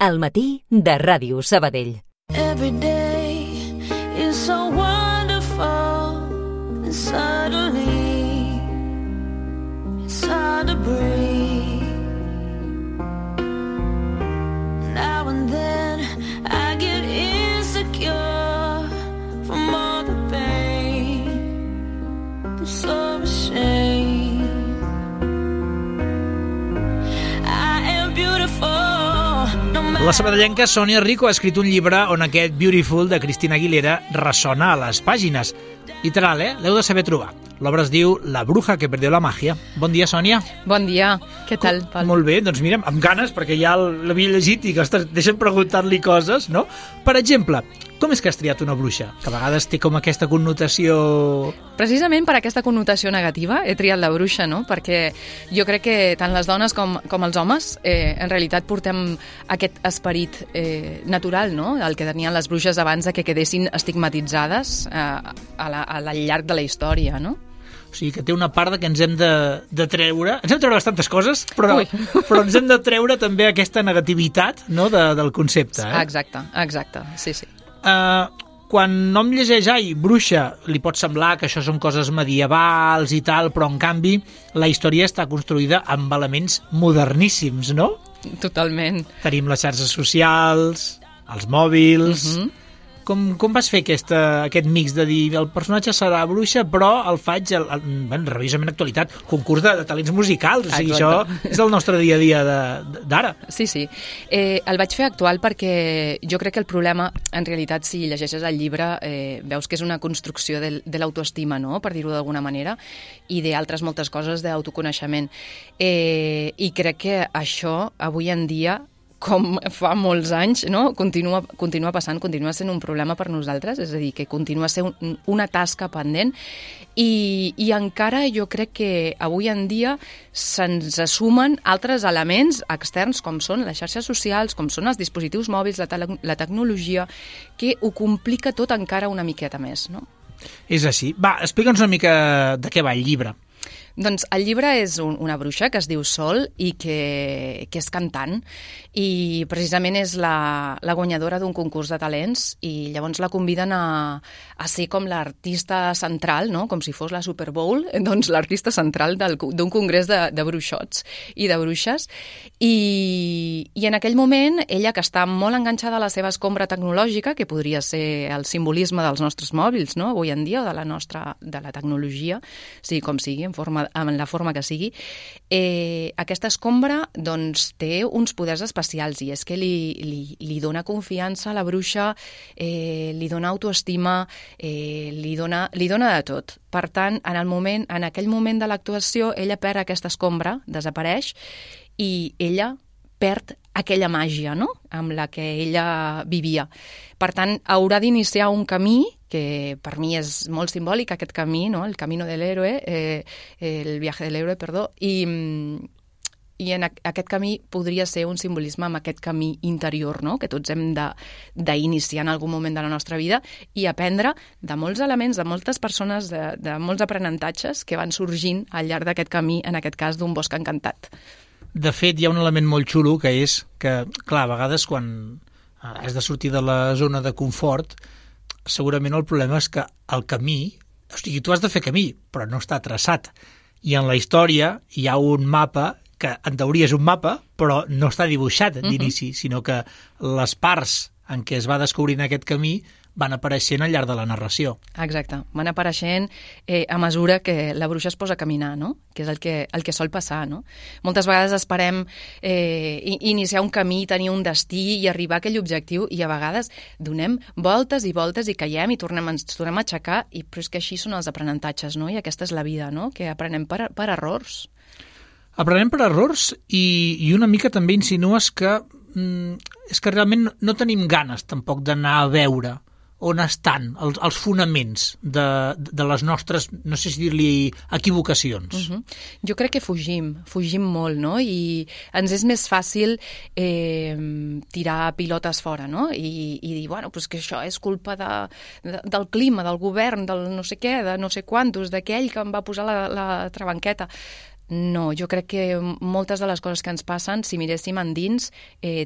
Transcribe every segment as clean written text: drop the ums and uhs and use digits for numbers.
Al matí de Ràdio Sabadell. Every day is so wonderful, and suddenly it's hard to breathe. Now and then I get insecure from all the pain. I'm so ashamed. I am beautiful. La sabadellenca Sònia Rico ha escrit un llibre on aquest Beautiful de Christina Aguilera ressona a les pàgines. Literal, l'heu de saber trobar. L'obra es diu La bruja que perdió la magia. Bon dia, Sònia. Bon dia. Què tal, Pol? Molt bé, doncs mira, amb ganes, perquè ja l'havia llegit i que deixem preguntar-li coses, no? Per exemple, com és que has triat una bruixa? Que a vegades té com aquesta connotació... Precisament per aquesta connotació negativa he triat la bruixa, no? Perquè jo crec que tant les dones com els homes en realitat portem aquest esperit natural, no? El que tenien les bruixes abans de que quedessin estigmatitzades al llarg de la història, no? O sigui, que té una part que ens hem de treure... Ens hem de treure bastantes coses, però ens hem de treure també aquesta negativitat, no, del concepte. Exacte, sí. Quan nom llegeix, bruixa, li pot semblar que això són coses medievals i tal, però en canvi la història està construïda amb elements moderníssims, no? Totalment. Tenim les xarxes socials, els mòbils... Com vas fer aquest mix de dir el personatge serà bruixa, però el faig revisament actualitat, concurs de talents musicals, o sigui, això és el nostre dia a dia d'ara. Sí. El vaig fer actual perquè jo crec que el problema, en realitat, si llegeixes el llibre, veus que és una construcció de l'autoestima, no?, per dir-ho d'alguna manera, i d'altres moltes coses d'autoconeixement. I crec que això, avui en dia, com fa molts anys, no? Continua passant, continua sent un problema per nosaltres, és a dir, que continua sent una tasca pendent i encara jo crec que avui en dia se'ns assumen altres elements externs com són les xarxes socials, com són els dispositius mòbils, la tecnologia, que ho complica tot encara una miqueta més, no? És així. Va, explica'ns una mica de què va el llibre. Doncs el llibre és una bruixa que es diu Sol i que és cantant i precisament és la guanyadora d'un concurs de talents i llavors la conviden a ser com l'artista central, no? Com si fos la Super Bowl, doncs l'artista central d'un congrés de bruixots i de bruixes i en aquell moment ella, que està molt enganxada a la seva escombra tecnològica, que podria ser el simbolisme dels nostres mòbils, no? Avui en dia, o de la tecnologia, sigui com sigui, en la forma que sigui, aquesta escombra doncs, té uns poders especials i és que li dona confiança a la bruixa, li dona autoestima, li dona de tot. Per tant, en aquell moment de l'actuació, ella perd aquesta escombra, desapareix, i ella perd aquella màgia, no?, amb la que ella vivia. Per tant, haurà d'iniciar un camí que per mi és molt simbòlic, aquest camí, no?, el camino del héroe, el viaje del héroe, perdó, i en aquest camí podria ser un simbolisme amb aquest camí interior, no?, que tots hem d'iniciar en algun moment de la nostra vida i aprendre de molts elements, de moltes persones, de molts aprenentatges que van sorgint al llarg d'aquest camí, en aquest cas d'un bosc encantat. De fet, hi ha un element molt xulo que és que, clar, a vegades quan has de sortir de la zona de confort, segurament el problema és que el camí, o sigui, tu has de fer camí, però no està traçat. I en la història hi ha un mapa que en teoria és un mapa, però no està dibuixat d'inici, sinó que les parts en què es va descobrint aquest camí van apareixent al llarg de la narració. Exacte, van apareixent a mesura que la bruixa es posa a caminar, no?, que és el que sol passar, no? Moltes vegades esperem iniciar un camí, tenir un destí i arribar a aquell objectiu i a vegades donem voltes i voltes i caiem i ens tornem a aixecar, però és que així són els aprenentatges, no?, i aquesta és la vida, no?, que aprenem per errors. Aprenem per errors i una mica també insinues que és que realment no tenim ganes tampoc d'anar a veure on estan els fonaments de les nostres, no sé si dir-li, equivocacions. Jo crec que fugim molt, no? I ens és més fàcil tirar pilotes fora, no? I dir, bueno, pues que això és culpa del clima, del govern, del no sé què, de no sé quantos, d'aquell que em va posar la trabanqueta. No, jo crec que moltes de les coses que ens passen, si miréssim endins,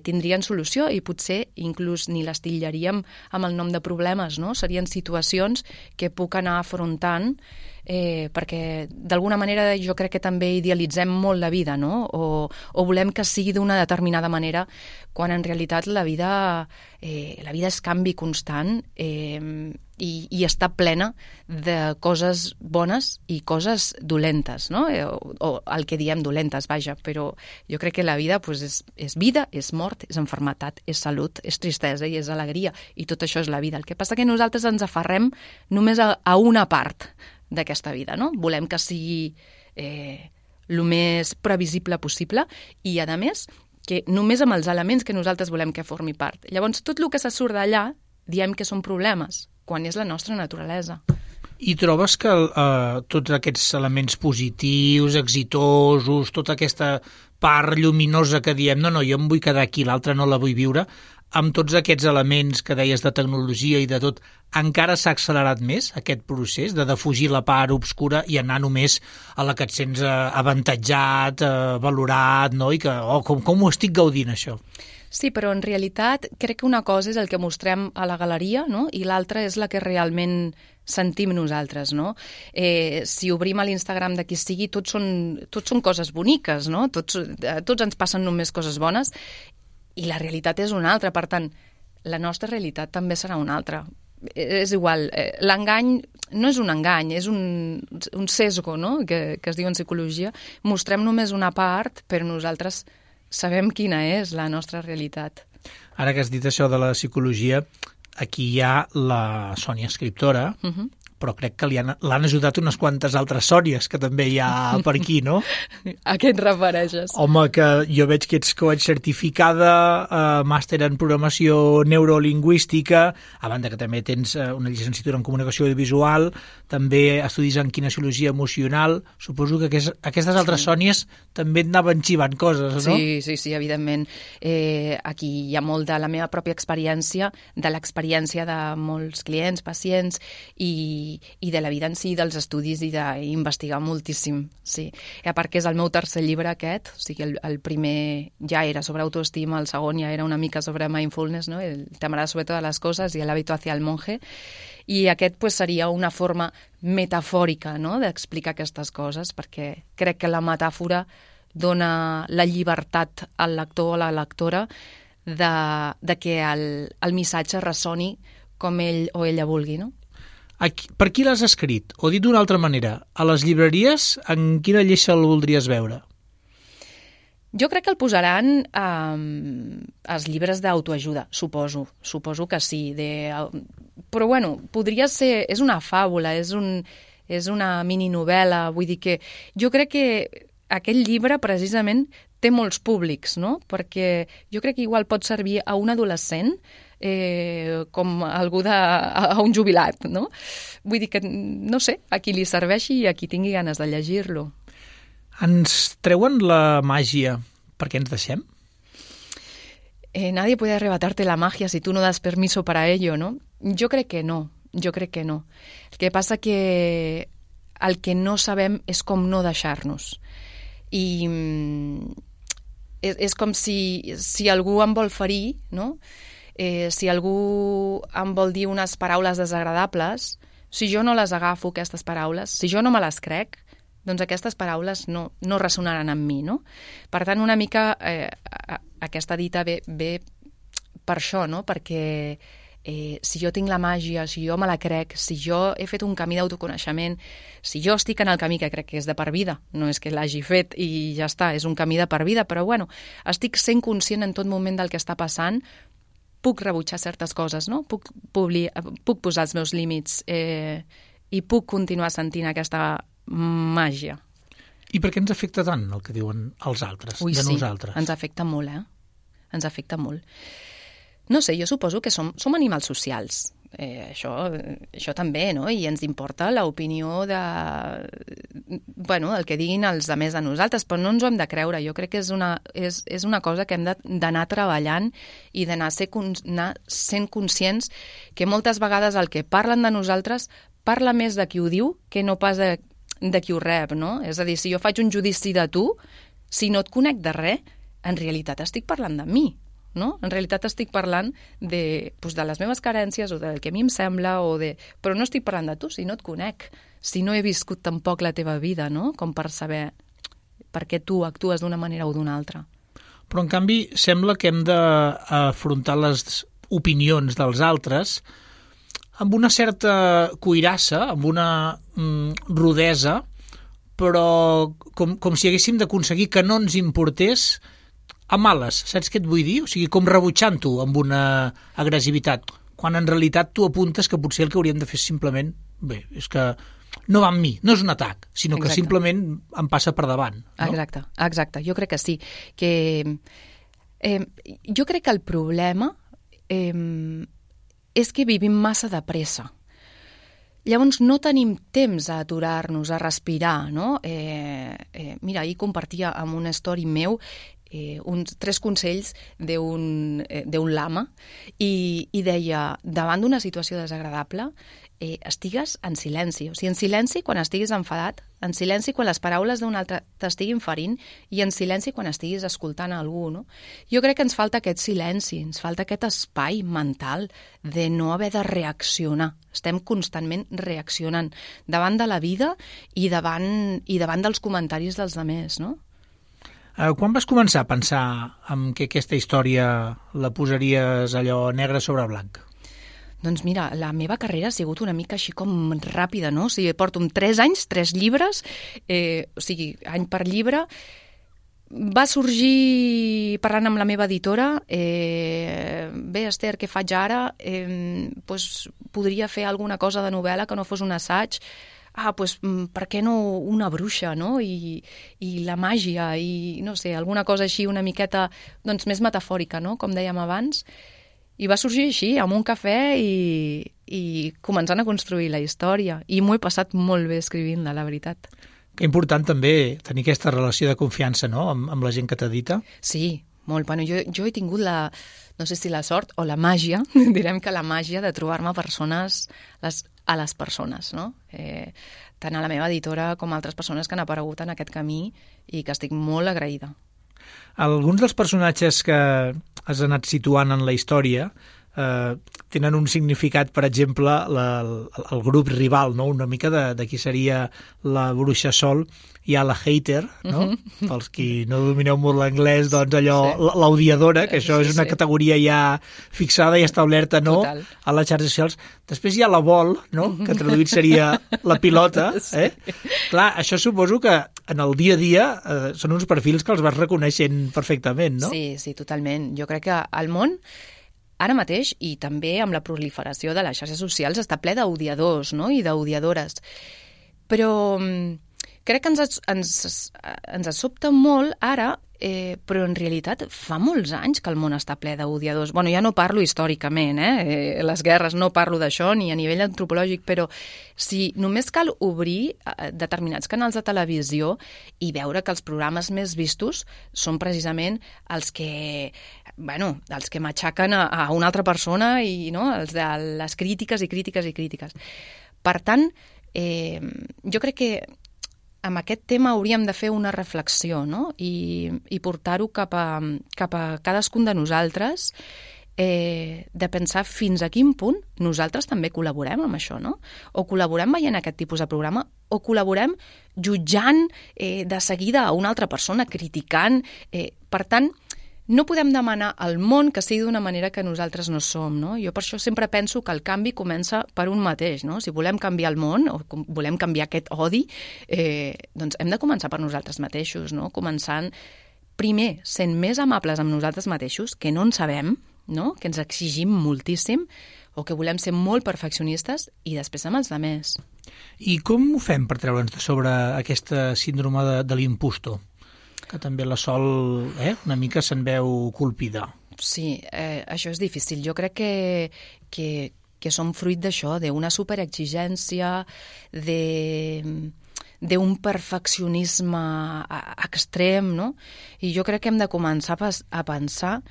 tindrien solució i potser inclús ni les titllaríem amb el nom de problemes, no? Serien situacions que puc anar afrontant perquè d'alguna manera jo crec que també idealitzem molt la vida, no? O volem que sigui d'una determinada manera, quan en realitat la vida és canvi constant i està plena de coses bones i coses dolentes, no? O el que diem dolentes, vaja, però jo crec que la vida pues, és vida, és mort, és enfermetat, és salut, és tristesa i és alegria, i tot això és la vida. El que passa que nosaltres ens aferrem només a una part d'aquesta vida, no? Volem que sigui el més previsible possible i, a més, que només amb els elements que nosaltres volem que formi part. Llavors, tot el que se surt d'allà diem que són problemes, quan és la nostra naturalesa. I trobes que tots aquests elements positius, exitosos, tota aquesta part lluminosa que diem no, jo em vull quedar aquí, l'altra no la vull viure, amb tots aquests elements que deies de tecnologia i de tot, encara s'ha accelerat més aquest procés de defugir la part obscura i anar només a la que et sents avantatjat, valorat, no? I que, com ho estic gaudint, això? Sí, però en realitat crec que una cosa és el que mostrem a la galeria, no? I l'altra és la que realment sentim nosaltres, no? Si obrim a l'Instagram de qui sigui, tots són coses boniques, no? Tots ens passen només coses bones, i la realitat és una altra. Per tant, la nostra realitat també serà una altra. És igual, l'engany no és un engany, és un sesgo, no? que es diu en psicologia. Mostrem només una part, però nosaltres sabem quina és la nostra realitat. Ara que has dit això de la psicologia, aquí hi ha la Sònia escriptora, però crec que l'han ajudat unes quantes altres Sònies que també hi ha per aquí, no? A què et refereixes? Home, que jo veig que ets coach certificada, màster en programació neurolingüística, a banda que també tens una llicenciatura en comunicació audiovisual, també estudis en kinesiologia emocional. Suposo que aquestes altres Sònies també et anaven xivant coses, no? Sí, evidentment. Aquí hi ha molt de la meva pròpia experiència, de l'experiència de molts clients, pacients i de la vida en si, dels estudis i d'investigar moltíssim, sí. A part que és el meu tercer llibre aquest, o sigui, el primer ja era sobre autoestima, el segon ja era una mica sobre mindfulness, no? El temerá sobre todas las cosas y el hábito hacia el monje, i aquest pues, seria una forma metafòrica, no?, d'explicar aquestes coses, perquè crec que la metàfora dona la llibertat al lector o a la lectora de que el missatge ressoni com ell o ella vulgui, no? Per qui l'has escrit? O dit d'una altra manera, a les llibreries en quina lleixa el voldries veure? Jo crec que el posaran als llibres d'autoajuda, suposo que sí. Però bueno, podria ser... És una fàbula, és una mininovel·la, vull dir que... Jo crec que aquest llibre, precisament, té molts públics, no? Perquè jo crec que igual pot servir a un adolescent com algú a un jubilat, no? Vull dir que, no sé, a qui li serveixi i a qui tingui ganes de llegir-lo. Ens treuen la màgia perquè ens deixem? Nadie puede arrebatarte la magia si tú no das permiso para ello, ¿no? Jo crec que no. El que passa que el que no sabem és com no deixar-nos. I és com si algú em vol ferir, no? Si algú em vol dir unes paraules desagradables, si jo no les agafo, aquestes paraules, si jo no me les crec, doncs aquestes paraules no ressonaran amb mi, no? Per tant, una mica aquesta dita ve per això, no? Perquè si jo tinc la màgia, si jo me la crec, si jo he fet un camí d'autoconeixement, si jo estic en el camí que crec que és de per vida, no és que l'hagi fet i ja està, és un camí de per vida, però bueno, estic sent conscient en tot moment del que està passant, puc rebutjar certes coses, no? Puc posar els meus límits i puc continuar sentint aquesta màgia. I per què ens afecta tant el que diuen els altres, nosaltres? Ens afecta molt, Ens afecta molt. No sé, jo suposo que som animals socials. Això també, no? I ens importa l'opinió del que diguin els altres de nosaltres, però no ens ho hem de creure. Jo crec que és una cosa que hem d'anar treballant i d'anar sent conscients que moltes vegades el que parlen de nosaltres parla més de qui ho diu que no pas de qui ho rep, no? És a dir, si jo faig un judici de tu, si no et conec de res, en realitat estic parlant de mi, no? En realitat estic parlant de les meves carències o del que a mi em sembla, però no estic parlant de tu si no et conec, si no he viscut tampoc la teva vida, no? Com per saber per què tu actues d'una manera o d'una altra. Però, en canvi, sembla que hem d'afrontar les opinions dels altres amb una certa cuirassa, amb una rudesa, però com si haguéssim d'aconseguir que no ens importés a males, saps què et vull dir? O sigui, com rebutjant-ho amb una agressivitat, quan en realitat tu apuntes que potser el que hauríem de fer és simplement, bé, és que no va amb mi, no és un atac, sinó que simplement em passa per davant. No? Exacte, jo crec que sí. Jo crec que el problema és que vivim massa de pressa. Llavors no tenim temps a aturar-nos, a respirar, no? Mira, ahir compartia amb una story meu 3 consells d'un lama i deia, davant d'una situació desagradable, estigues en silenci. O sigui, en silenci quan estiguis enfadat, en silenci quan les paraules d'un altre t'estiguin ferint i en silenci quan estiguis escoltant a algú, no? Jo crec que ens falta aquest silenci, ens falta aquest espai mental de no haver de reaccionar. Estem constantment reaccionant davant de la vida i davant dels comentaris dels altres, no? Quan vas començar a pensar que aquesta història la posaries allò negre sobre blanc? Doncs mira, la meva carrera ha sigut una mica així com ràpida, no? O sigui, porto 3 anys, 3 llibres, o sigui, any per llibre. Va sorgir parlant amb la meva editora, bé, Esther, què faig ara? Podria fer alguna cosa de novel·la que no fos un assaig. Per què no una bruixa, no? I la màgia, i no sé, alguna cosa així una miqueta doncs, més metafòrica, no? Com dèiem abans. I va sorgir així, amb un cafè i començant a construir la història. I m'ho he passat molt bé escrivint-la, la veritat. Que important també tenir aquesta relació de confiança, no?, amb la gent que t'edita. Sí, molt. Bueno, jo he tingut no sé si la sort o la màgia, direm que la màgia de trobar-me persones a les persones, no? Tant a la meva editora com a altres persones que han aparegut en aquest camí i que estic molt agraïda. Alguns dels personatges que has anat situant en la història tenen un significat, per exemple, el grup rival, no? Una mica de qui seria la bruixa Sol. Hi ha la hater, no? Pels qui no domineu molt l'anglès, doncs allò, l'audiadora, que això és una categoria ja fixada i establerta, no? Total. A les xarxes socials. Després hi ha la vol, no? Que traduït seria la pilota, Clar, això suposo que en el dia a dia són uns perfils que els vas reconeixent perfectament, no? Sí, totalment. Jo crec que el món ara mateix, i també amb la proliferació de les xarxes socials, està ple d'odiadors, no? I d'odiadores. Però crec que ens sobta molt ara, però en realitat fa molts anys que el món està ple d'odiadors. Bueno, ja no parlo històricament, les guerres, no parlo d'això, ni a nivell antropològic, però si només cal obrir determinats canals de televisió i veure que els programes més vistos són precisament els que matxaquen a una altra persona i no? Els de les crítiques i crítiques i crítiques. Per tant, jo crec que amb aquest tema hauríem de fer una reflexió, no? I portar-ho cap a cadascun de nosaltres, de pensar fins a quin punt nosaltres també col·laborem amb això, no? O col·laborem veient aquest tipus de programa, o col·laborem jutjant de seguida a una altra persona, criticant. Per tant, no podem demanar al món que sigui d'una manera que nosaltres no som, no? Jo per això sempre penso que el canvi comença per un mateix, no? Si volem canviar el món o volem canviar aquest odi, doncs hem de començar per nosaltres mateixos, no? Començant, primer, sent més amables amb nosaltres mateixos, que no en sabem, no? Que ens exigim moltíssim, o que volem ser molt perfeccionistes, i després amb els altres. I com ho fem per treure'ns de sobre aquesta síndrome de l'impostor? Que també la Sol una mica se'n veu colpida. Sí, això és difícil. Jo crec que som fruit d'això, d'una superexigència, d'un perfeccionisme extrem, no? I jo crec que hem de començar a pensar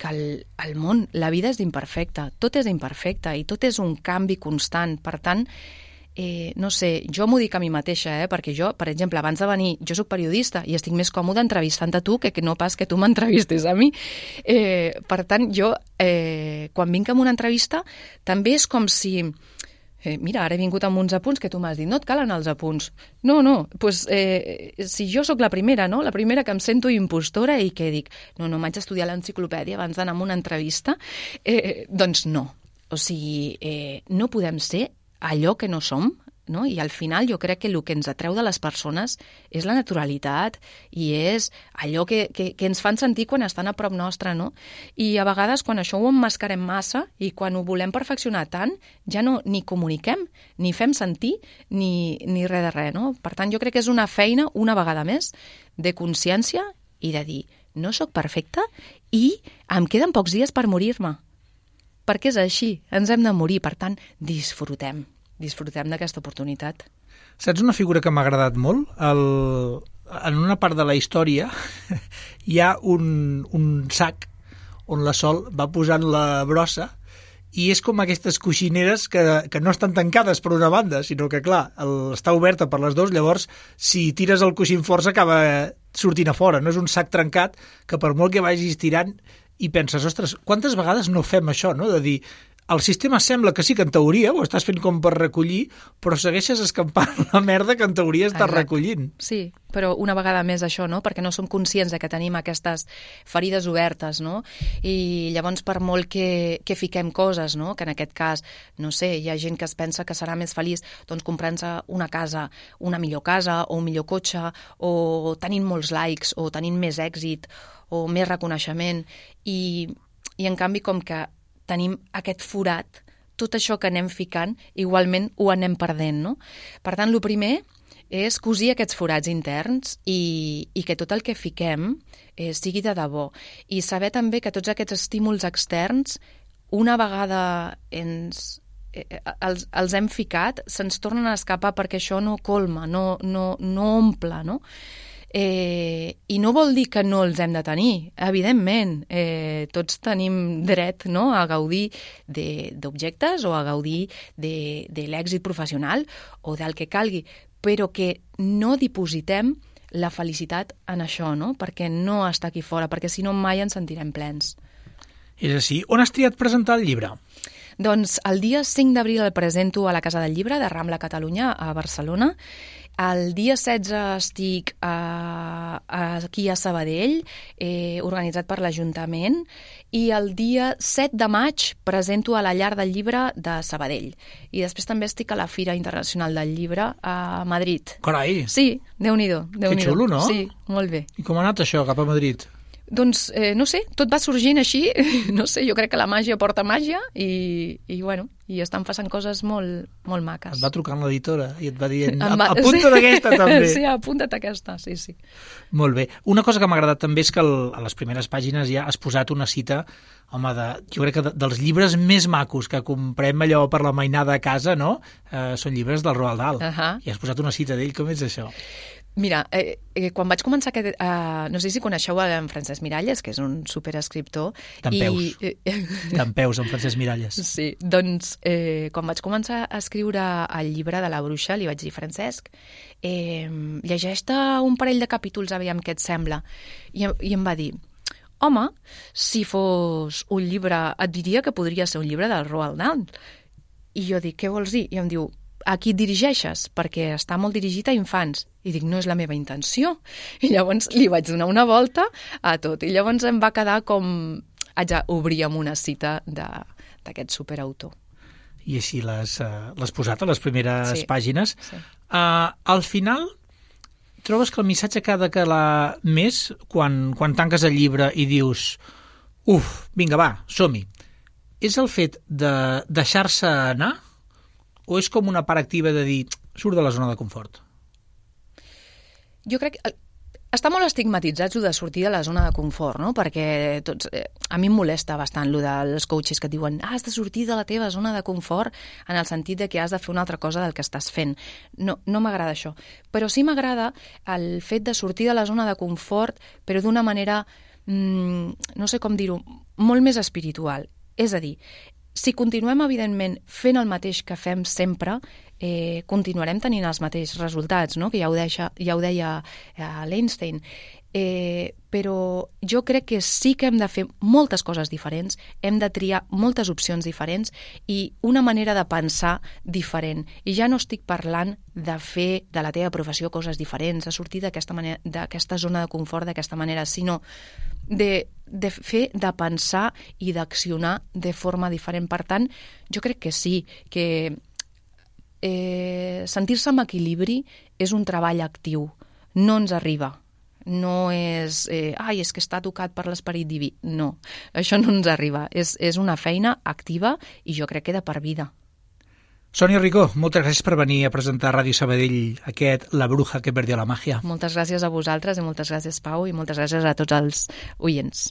que el món, la vida és imperfecta, tot és imperfecte i tot és un canvi constant. Per tant, no sé, jo m'ho dic a mi mateixa, perquè jo, per exemple, abans de venir, jo sóc periodista i estic més còmode entrevistant a tu que no pas que tu m'entrevistes a mi. Per tant, jo, quan vinc a una entrevista, també és com si... mira, ara he vingut amb uns apunts que tu m'has dit, no et calen els apunts. No, doncs si jo sóc la primera, no? La primera que em sento impostora i que dic, no, m'haig d'estudiar l'enciclopèdia abans d'anar a una entrevista, doncs no. O sigui, no podem ser allò que no som, no? I al final jo crec que el que ens atreu de les persones és la naturalitat i és allò que ens fan sentir quan estan a prop nostre, no? I a vegades quan això ho emmascarem massa i quan ho volem perfeccionar tant, ja no ni comuniquem, ni fem sentir, ni res de res, no? Per tant, jo crec que és una feina, una vegada més, de consciència i de dir, no sóc perfecta i em queden pocs dies per morir-me. Perquè és així, ens hem de morir, per tant, disfrutem d'aquesta oportunitat. Saps una figura que m'ha agradat molt? En una part de la història hi ha un sac on la Sol va posant la brossa i és com aquestes coixineres que no estan tancades per una banda, sinó que, clar, està oberta per les dues, llavors, si tires el coixí força acaba sortint a fora. No és un sac trencat que per molt que vagis tirant i penses, ostres, quantes vegades no fem això, no? De dir, el sistema sembla que sí que en teoria ho estàs fent com per recollir, però segueixes escampant la merda que en teoria estàs recollint. Sí, però una vegada més això, no? Perquè no som conscients de que tenim aquestes ferides obertes, no? I llavors per molt que fiquem coses, no? Que en aquest cas, no sé, hi ha gent que es pensa que serà més feliç doncs comprant-se una casa, una millor casa o un millor cotxe o tenint molts likes o tenint més èxit o més reconeixement i en canvi com que tenim aquest forat, tot això que anem ficant, igualment ho anem perdent, no? Per tant, el primer és cosir aquests forats interns i que tot el que fiquem sigui de debò. I saber també que tots aquests estímuls externs, una vegada els hem ficat, se'ns tornen a escapar perquè això no colma, no omple, no? I no vol dir que no els hem de tenir, evidentment, tots tenim dret, no?, a gaudir d'objectes o a gaudir de l'èxit professional o del que calgui, però que no dipositem la felicitat en això, no?, perquè no està aquí fora, perquè si no mai ens sentirem plens. És així. On has triat presentar el llibre? Doncs el dia 5 d'abril el presento a la Casa del Llibre de Rambla Catalunya, a Barcelona. El dia 16 estic aquí a Sabadell, organitzat per l'Ajuntament, i el dia 7 de maig presento a la Llar del Llibre de Sabadell. I després també estic a la Fira Internacional del Llibre a Madrid. Carai! Sí, Déu-n'hi-do. Que xulo, no? Sí, molt bé. I com ha anat això, cap a Madrid? Doncs, no sé, tot va sorgint així, no sé, jo crec que la màgia porta màgia i bueno, i estan passant coses molt, molt maques. Et va trucant l'editora i et va dient, apunta't aquesta també. Sí, apunta't aquesta, sí. Molt bé. Una cosa que m'ha agradat també és que a les primeres pàgines ja has posat una cita, home, jo crec que dels llibres més macos que comprem allò per la mainada a casa, no? Són llibres del Roald Dahl. I has posat una cita d'ell, com és això? Mira, quan vaig començar no sé si coneixeu en Francesc Miralles, que és un superescriptor. Dempeus, en Francesc Miralles. Sí, doncs quan vaig començar a escriure el llibre de la bruixa, li vaig dir, Francesc, llegeix-te un parell de capítols, aviam què et sembla. I em va dir, home, si fos un llibre, et diria que podria ser un llibre del Roald Dahl. I jo dic, què vols dir? I em diu, a qui et dirigeixes? Perquè està molt dirigit a infants. I dic, no és la meva intenció. I llavors li vaig donar una volta a tot. I llavors em va quedar com... haig d'obrir amb una cita d'aquest superautor. I així l'has posat a les primeres pàgines. Sí. Al final, trobes que el missatge que ha de calar més quan tanques el llibre i dius, vinga, va, som-hi. És el fet de deixar-se anar o és com una part activa de dir, surt de la zona de confort? Jo crec que està molt estigmatitzat de sortir de la zona de confort, no? Perquè a mi em molesta bastant lo dels coaches que et diuen has de sortir de la teva zona de confort en el sentit de que has de fer una altra cosa del que estàs fent. No m'agrada això. Però sí m'agrada el fet de sortir de la zona de confort, però d'una manera, no sé com dir-ho, molt més espiritual. És a dir, si continuem, evidentment, fent el mateix que fem sempre, continuarem tenint els mateixos resultats, no? Que ja ho deia l'Einstein. Però jo crec que sí que hem de fer moltes coses diferents, hem de triar moltes opcions diferents i una manera de pensar diferent. I ja no estic parlant de fer de la teva professió coses diferents, de sortir d'aquesta zona de confort d'aquesta manera, sinó de pensar i d'accionar de forma diferent. Per tant, jo crec que sí, que sentir-se amb equilibri és un treball actiu, no ens arriba. No és, és que està tocat per l'esperit diví. No, això no ens arriba. És una feina activa i jo crec que de per vida. Sònia Ricó, moltes gràcies per venir a presentar a Ràdio Sabadell aquest La bruja que perdió la magia. Moltes gràcies a vosaltres i moltes gràcies, Pau, i moltes gràcies a tots els oients.